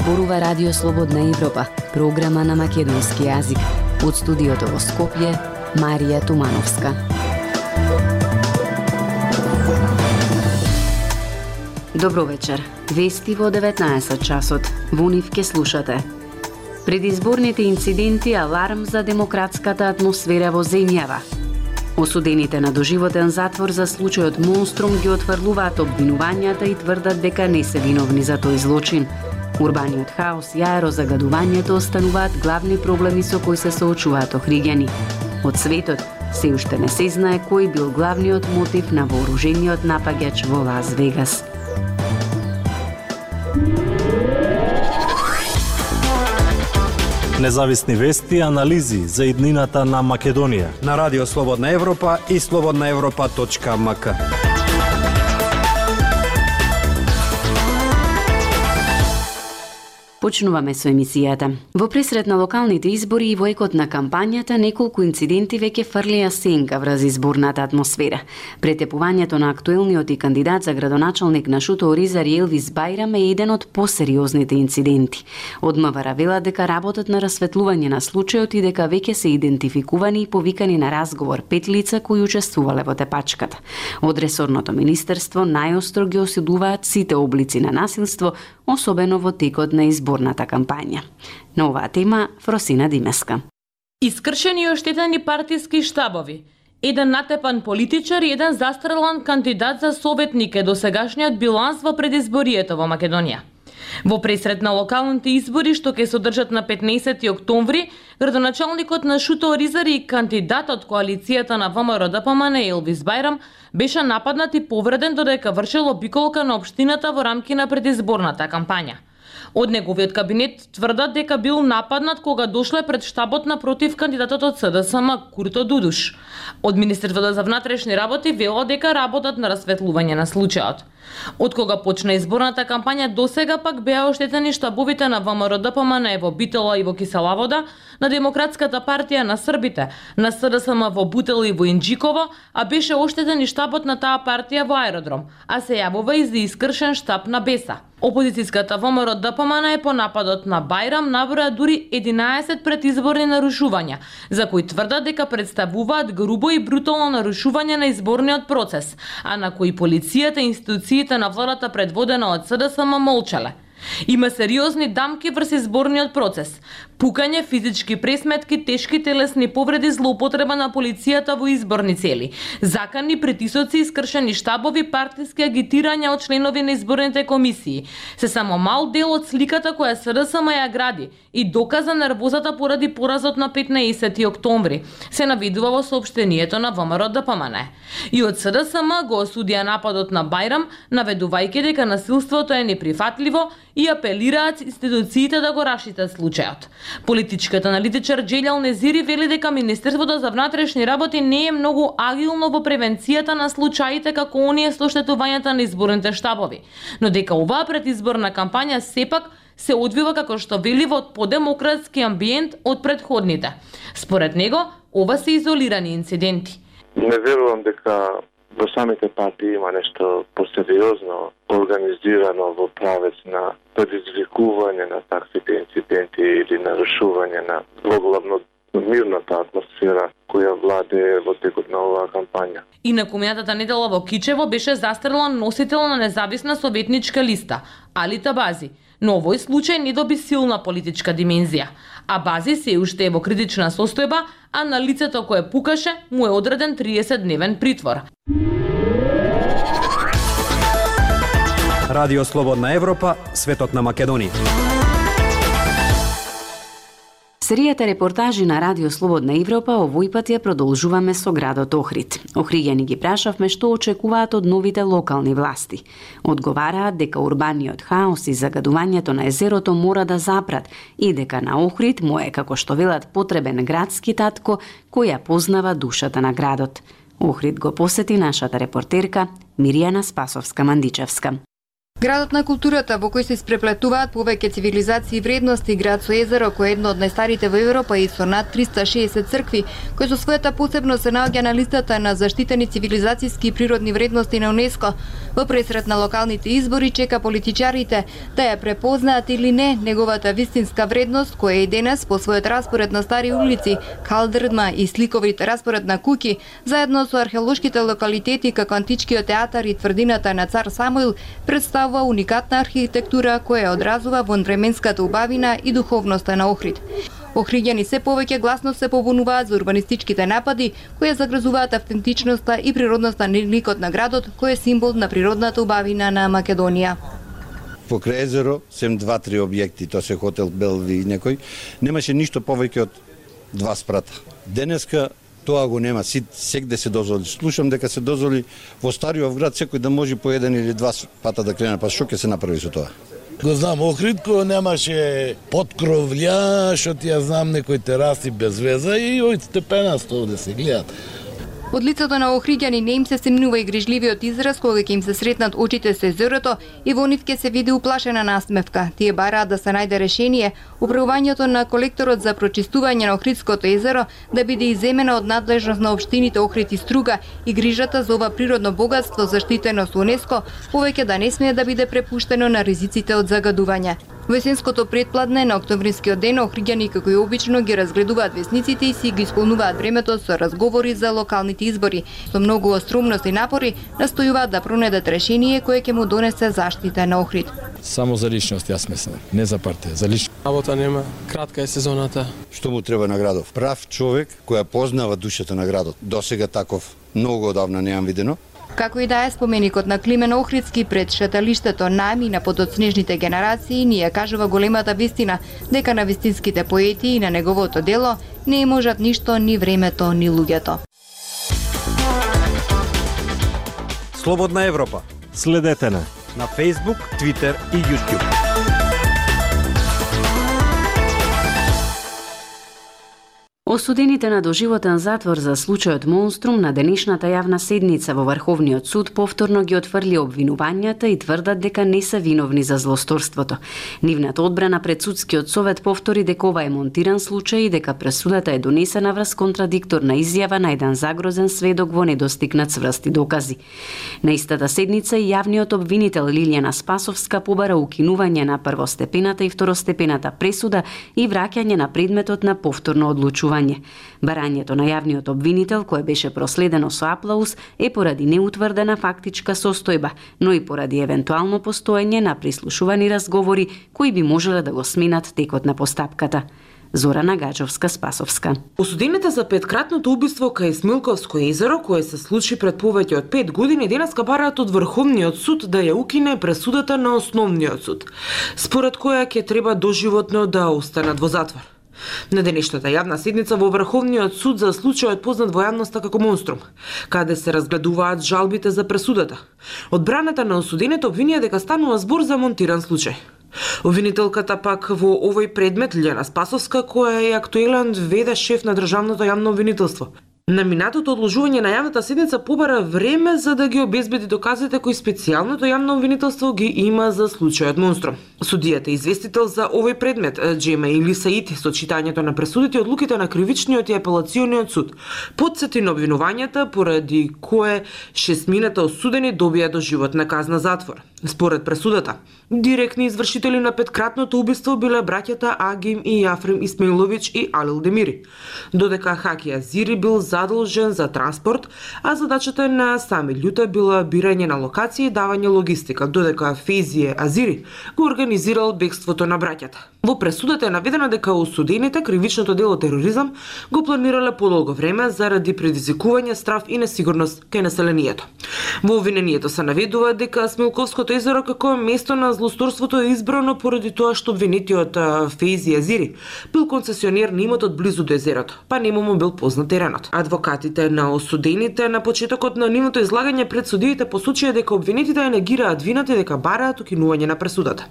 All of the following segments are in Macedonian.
зборува Радио Слободна Европа, програма на македонски јазик. Од студиото во Скопје, Марија Тумановска. Добро вечер. Вести во 19 часот. Во нив ке слушате. Предизборните инциденти аларм за демократската атмосфера во земјава. Осудените на доживотен затвор за случајот Монструм ги отфрлуваат обвинувањата и тврдат дека не се виновни за тој злочин. Урбаниот хаос и аерозагадувањето остануваат главни проблеми со кои се соочуваат охриѓани. Од светот се уште не се знае кој бил главниот мотив на вооружениот напаѓач во Лас Вегас. Независни вести и анализи за иднината на Македонија на Радио Слободна Европа и slobodnaevropa.mk. Почнуваме со емисијата. Во пресред на локалните избори и во екот на кампањата, неколку инциденти веќе фрлија сенка врз изборната атмосфера. Претепувањето на актуелниот и кандидат за градоначалник на Шуто Оризари Елвис Бајрам е еден од посериозните инциденти. Од МВР велат дека работат на расветлување на случајот и дека веќе се идентификувани и повикани на разговор 5 лица кои учествувале во тепачката. Од ресорното министерство најостро ги осудуваат сите облици на насилство, особено во текот на изборната кампања. На оваа тема Фросина Димеска. Искршени и оштетени партиски штабови, еден натепан политичар и еден застрелан кандидат за советник е досегашниот биланс во предизборието во Македонија. Во пресред на локалните избори што ќе се одржат на 15 октомври, градоначалникот на Шуто Оризари и кандидатот коалицијата на ВМРО-ДПМН Елвис Бајрам беше нападнат и повреден додека вршел обиколка на општината во рамки на предизборната кампања. Од неговиот кабинет тврдат дека бил нападнат кога дошле пред штабот напротив кандидатот од СДСМ Курто Дудуш. Од Министерството за внатрешни работи велат дека работат на расветлување на случајот. Од кога почна изборната кампања досега пак беа оштетени штабовите на ВМРО-ДПМН во Битола и во Киселавода, на Демократската партија на србите, на СДСМ во Бутел и во Инџиково, а беше оштетен и штабот на таа партија во Аеродром, а се јавува и за искршен штаб на Беса. Опозицијската ВМРО-ДПМН по нападот на Бајрам наброја дури 11 предизборни нарушувања, за кои тврдат дека представуваат грубо и брутално нарушување на изборниот процес, а на кои полицијата и институциите на владата предводена од СДСМ молчале. Има сериозни дамки врз изборниот процес, пукање, физички пресметки, тешки телесни повреди, злоупотреба на полицијата во изборни цели, закани, притисоци, искршени штабови, партиски агитирања од членови на изборните комисии. Се само мал дел од сликата која СДСМ ја гради и доказа нервозата поради поразот на 15 октомври, се навидува во соопштението на ВМРО-ДПМН. И од СДСМ го осудија нападот на Бајрам, наведувајќи дека насилството е неприфатливо и апелираат институциите да го расчитат случајот. Политичкиот аналитичар Џелјал Незири вели дека Министерството за внатрешни работи не е многу агилно во превенцијата на случаите како оние со оштетувањата на изборните штабови, но дека оваа предизборна кампања сепак се одвива како што вели во подемократски амбиент од претходните. Според него, ова се изолирани инциденти. Не верувам дека во самите партии има нешто посериозно организирано во правец на предизвикување на таквите инциденти или нарушување на главно мирната атмосфера која владее во текот на оваа кампања. Инаку минатата недела во Кичево беше застрелан носител на независна советничка листа, Али Табази, но овој случај не доби силна политичка димензија. А Бази се уште е во критична состојба, а на лицето кое пукаше му е одреден 30-дневен притвор. Радио Слободна Европа, светот на Македонија. Серијата репортажи на Радио Слободна Европа овој пат ја продолжуваме со градот Охрид. Охриѓани ги прашавме што очекуваат од новите локални власти. Одговараат дека урбаниот хаос и загадувањето на езерото мора да запрат и дека на Охрид му е, како што велат, потребен градски татко кој ја познава душата на градот. Охрид го посети нашата репортерка Миријана Спасовска-Мандичевска. Градот на културата во кој се испреплетуваат повеќе цивилизации и вредности, град со езеро кој е едно од најстарите во Европа и со над 360 цркви, кој со својата посебност се наоѓа на листата на заштитени цивилизацијски и природни вредности на УНЕСКО. Во пресред на локалните избори чека политичарите да ја препознаат или не неговата вистинска вредност, која е и денес по својот распоред на стари улици, калдрма и сликовит распоред на куќи, заедно со археолошките локалитети како античкиот театар и тврдината на цар Самуил, представува уникатна архитектура која одразува вонвременската убавина и духовноста на Охрид. Охриѓани се повеќе гласно се побунуваат за урбанистичките напади кои загрозуваат автентичноста и природноста на ликот на градот, кој е символ на природната убавина на Македонија. Покрај езеро, сем 2-3 објекти, тоа се хотел Белви и некој, немаше ништо повеќе од 2 спрата. Денеска тоа го нема, сегде се дозволи. Слушам дека се дозволи во Стариот град секој да може по 1 или 2 пата да крене, па што ќе се направи со тоа? Го знам Охрид, кој немаше подкровља, што ти ја знам некои тераси без веза и ој степенасто да се гледат. Од лицето на охриѓани не им се стемнува и грижливиот израз кога ќе им се сретнат очите со езерото и во нив ќе се види уплашена насмевка. Тие бараат да се најде решение управувањето на колекторот за прочистување на Охридското езеро да биде иземено од надлежност на општините Охрид и Струга и грижата за ова природно богатство заштитено со УНЕСКО повеќе да не смее да биде препуштено на ризиците од загадување. Во есенското предпладне на октомврискиот ден охриѓани како и обично ги разгледуваат весниците и си ги исполнуваат времето со разговори за локалните избори. Со многу остромност и напори настојуваат да пронедат решение кое ќе му донесе заштита на Охрид. Само за личност, јас мислам, не за партија, за личност. Работа нема, кратка е сезоната. Што му треба на градов? Прав човек која познава душата на градот. Досега таков многу одавна неам видено. Како и да е споменикот на Климен Охридски пред шеталиштето намина под од снежните генерации ни ја кажува големата вистина дека на вистинските поети и на неговото дело не можат ништо ни времето ни луѓето. Слободна Европа. Следете на Facebook, Twitter и YouTube. Осудените на доживотен затвор за случајот Монструм на денешната јавна седница во Врховниот суд повторно ги отфрли обвинувањата и тврдат дека не се виновни за злосторството. Нивната одбрана пред судскиот совет повтори дека ова е монтиран случај и дека пресудата е донесена врз контрадикторна изјава на еден загрозен сведок во недостигнат цврсти докази. На истата седница и јавниот обвинител Лилјана Спасовска побара укинување на првостепената и второстепената пресуда и враќање на предметот на повторно одлучување. Барањето на јавниот обвинител, кое беше проследено со аплауз, е поради неутврдена фактичка состојба, но и поради евентуално постоење на прислушувани разговори кои би можеле да го сменат текот на постапката. Зорана Гаджовска-Спасовска. Осудените за петкратното убиство кај Смилковско езеро, кое се случи пред повеќе од 5 години, денеска бараат од Врховниот суд да ја укине пресудата на Основниот суд, според која ќе треба доживотно да останат во затвор. На денешната јавна седница во Врховниот суд за случајот познат во јавноста како Монструм, каде се разгледуваат жалбите за пресудата. Одбраната на осудените обвинија дека станува збор за монтиран случај. Обвинителката пак во овој предмет Лилјана Спасовска, која е актуелен веде шеф на државното јавно обвинителство. На минатото одложување на јавната седница побара време за да ги обезбеди доказите кои специјалното јавно обвинителство ги има за случајот Монструм. Судијата известител за овој предмет, Джема Илисаити, со читањето на пресудите и одлуките на кривичниот и апелациониот суд, потсети на обвинувањата поради кое 6 осудени добија доживотна казна затвор. Според пресудата, директни извршители на петкратното убиство биле браќата Агим и Јафрем Исмаиловиќ и Алил Демири, додека Хаки Азири бил задолжен за транспорт, а задачата на Сами Љута била бирање на локација и давање логистика, додека Фезие Азири го организирал бегството на браќата. Во пресудата е наведено дека осудените кривичното дело тероризам го планирале подолго време заради предизвикување страв и несигурност кај населението. Во обвинението се наведува дека Смилковското езеро како место на злосторството е избрано поради тоа што обвинетиот Фези Азири бил концесионер на имотот близу до езерото, па нему му бил познат теренот. Адвокатите на осудените на почетокот на нивното излагање пред судиите посочија дека обвинетите ја негираат вината и дека бараат укинување на пресудата.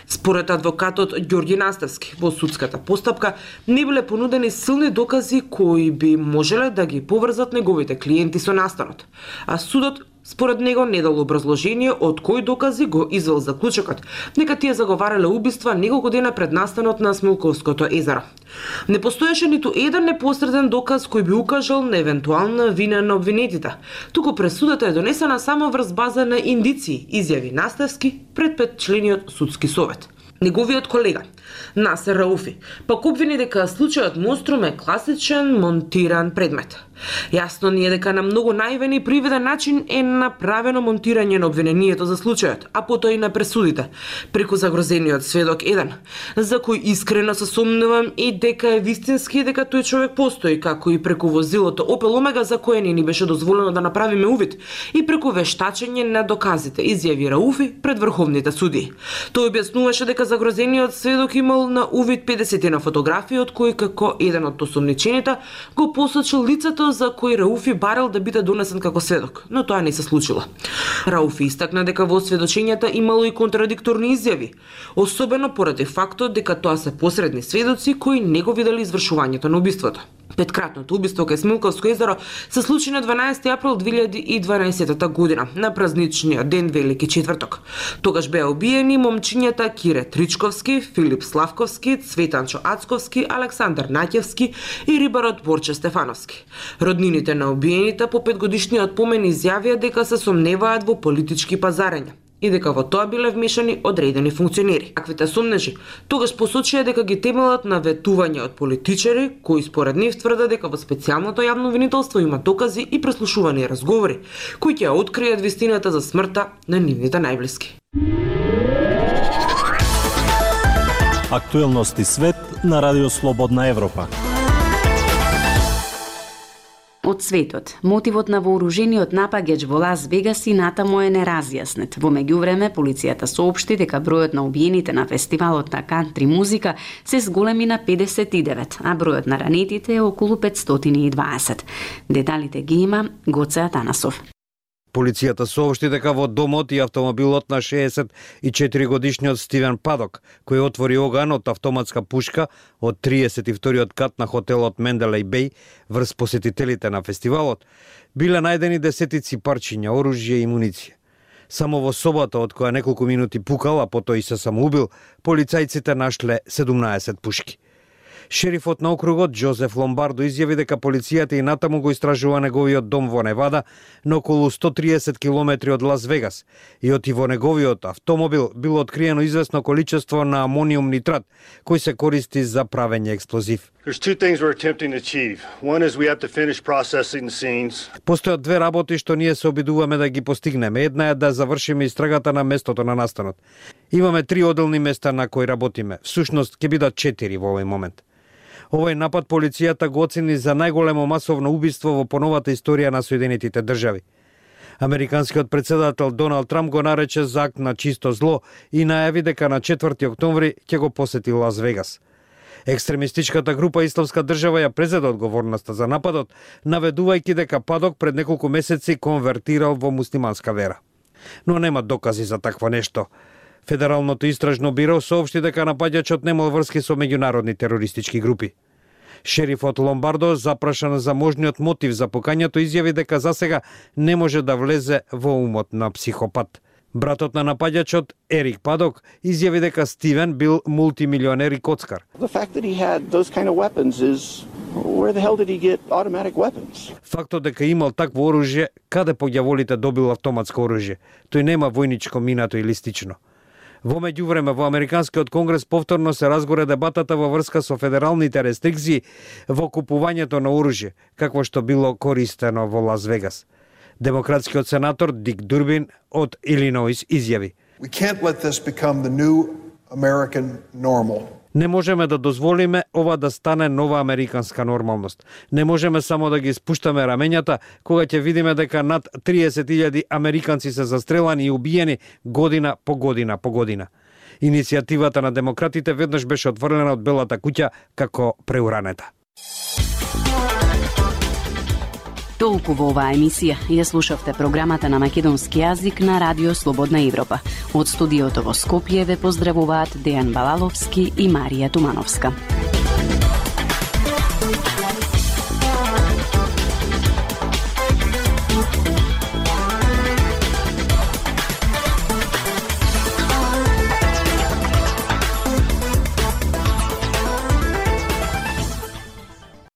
Според адвокатот Ѓорѓи Наставски, во судската постапка не биле понудени силни докази кои би можеле да ги поврзат неговите клиенти со настанот, а судот Според него не дал образложение од кои докази го извел заклучокот, дека тие заговарале убиства неколку дена пред настанот на Смилковското езеро. Не постоеше ниту еден непосреден доказ кој би укажал на евентуална вина на обвинетите, туку пресудата е донесена само врз база на индиции, изјави Наставски пред 5-члениот судски совет. Неговиот колега, Насер Рауфи, пак обвини дека случајот Монструм е класичен монтиран предмет. Јасно ни е дека на многу наивен и привиден начин е направено монтирање на обвинението за случајот, а потоа и на пресудите, преку загрозениот сведок 1, за кој искрено се сомневам и дека е вистински дека тој човек постои, како и преку возилото Опел Омега за кое не ни беше дозволено да направиме увид, и преку вештачење на доказите, изјави Рауфи пред врховните судии. Тој објаснуваше дека загрозениот сведок имал на увид 50 на фотографии, од кои како еден од осомничените го посочил лицето за кој Рауфи барал да биде донесен како сведок, но тоа не се случило. Рауфи истакна дека во сведочењата имало и контрадикторни изјави, особено поради фактот дека тоа се посредни сведоци кои не го виделе извршувањето на убиството. Петкратното убиство кај Смилковско езеро се случи на 12 април 2012 година, на празничниот ден Велики четврток. Тогаш беа убиени момчињата Кире Тричковски, Филип Славковски, Цветанчо Ацковски, Александар Наќевски и рибарот Борче Стефановски. Роднините на убиените по 5-годишниот помен изјавија дека се сомневаат во политички пазарења и дека во тоа биле вмешани одредени функционери. Таквите сомнежи тогаш посочија дека ги темелат на ветување од политичари кои според нив тврдат дека во специјалното јавно обвинителство има докази и преслушувани разговори кои ќе откријат вистината за смртта на нивните најблиски. Актуелности свет на Радио Слободна Европа. Од светот, мотивот на вооружениот напаѓач во Лас Вегас и натаму е неразјаснет. Во меѓувреме, полицијата соопшти дека бројот на убиените на фестивалот на кантри музика се зголеми на 59, а бројот на ранетите е околу 520. Деталите ги има Гоце Атанасов. Полицијата соопшти дека во домот и автомобилот на 64-годишниот Стивен Падок, кој отвори оган од автоматска пушка од 32-иот кат на хотелот Менделеј Беј врз посетителите на фестивалот, биле најдени десетици парчиња оружје и муниција. Само во собата, од која неколку минути пукал, а потоа и се самоубил, полицајците нашле 17 пушки. Шерифот на округот Джозеф Ломбардо изјави дека полицијата и натаму го истражува неговиот дом во Невада, на околу 130 километри од Лас Вегас, и оти во неговиот автомобил било откриено известно количество на амониум нитрат, кој се користи за правење експлозив. Постојат две работи што ние се обидуваме да ги постигнеме. Една е да завршиме истрагата на местото на настанот. Имаме 3 оделни места на кои работиме. Всушност ќе бидат 4 во овој момент. Овој напад полицијата го оцени за најголемо масовно убиство во поновата историја на Соединетите држави. Американскиот председател Доналд Трамп го нарече за акт на чисто зло и најави дека на 4 октомври ќе го посети Лас Вегас. Екстремистичката група Исламска држава ја презеде одговорноста за нападот, наведувајќи дека Падок пред неколку месеци конвертирал во муслиманска вера. Но нема докази за такво нешто. Федералното истражно биро соопшти дека напаѓачот немал врски со меѓународни терористички групи. Шерифот Ломбардо, запрашан за можниот мотив за покањето, изјави дека засега не може да влезе во умот на психопат. Братот на напаѓачот, Ерик Падок, изјави дека Стивен бил мултимилионер и коцкар. Фактот дека имал такво оружје, каде по ѓаволите добил автоматско оружје? Тој нема војничко минато или слично. Во меѓувреме, во Американскиот конгрес повторно се разгоре дебатата во врска со федералните рестрикции во купувањето на оружје, какво што било користено во Лас Вегас. Демократскиот сенатор Дик Дурбин од Илиноис изјави: Не можеме да дозволиме ова да стане нова американска нормалност. Не можеме само да ги спуштаме рамењата кога ќе видиме дека над 30.000 американци се застрелани и убиени година по година по година. Иницијативата на демократите веднаш беше отврлена од Белата куќа како преуранета. Толку во оваа емисија. Ја слушавте програмата на македонски јазик на Радио Слободна Европа. Од студиото во Скопје ве поздравуваат Дејан Балаловски и Марија Тумановска.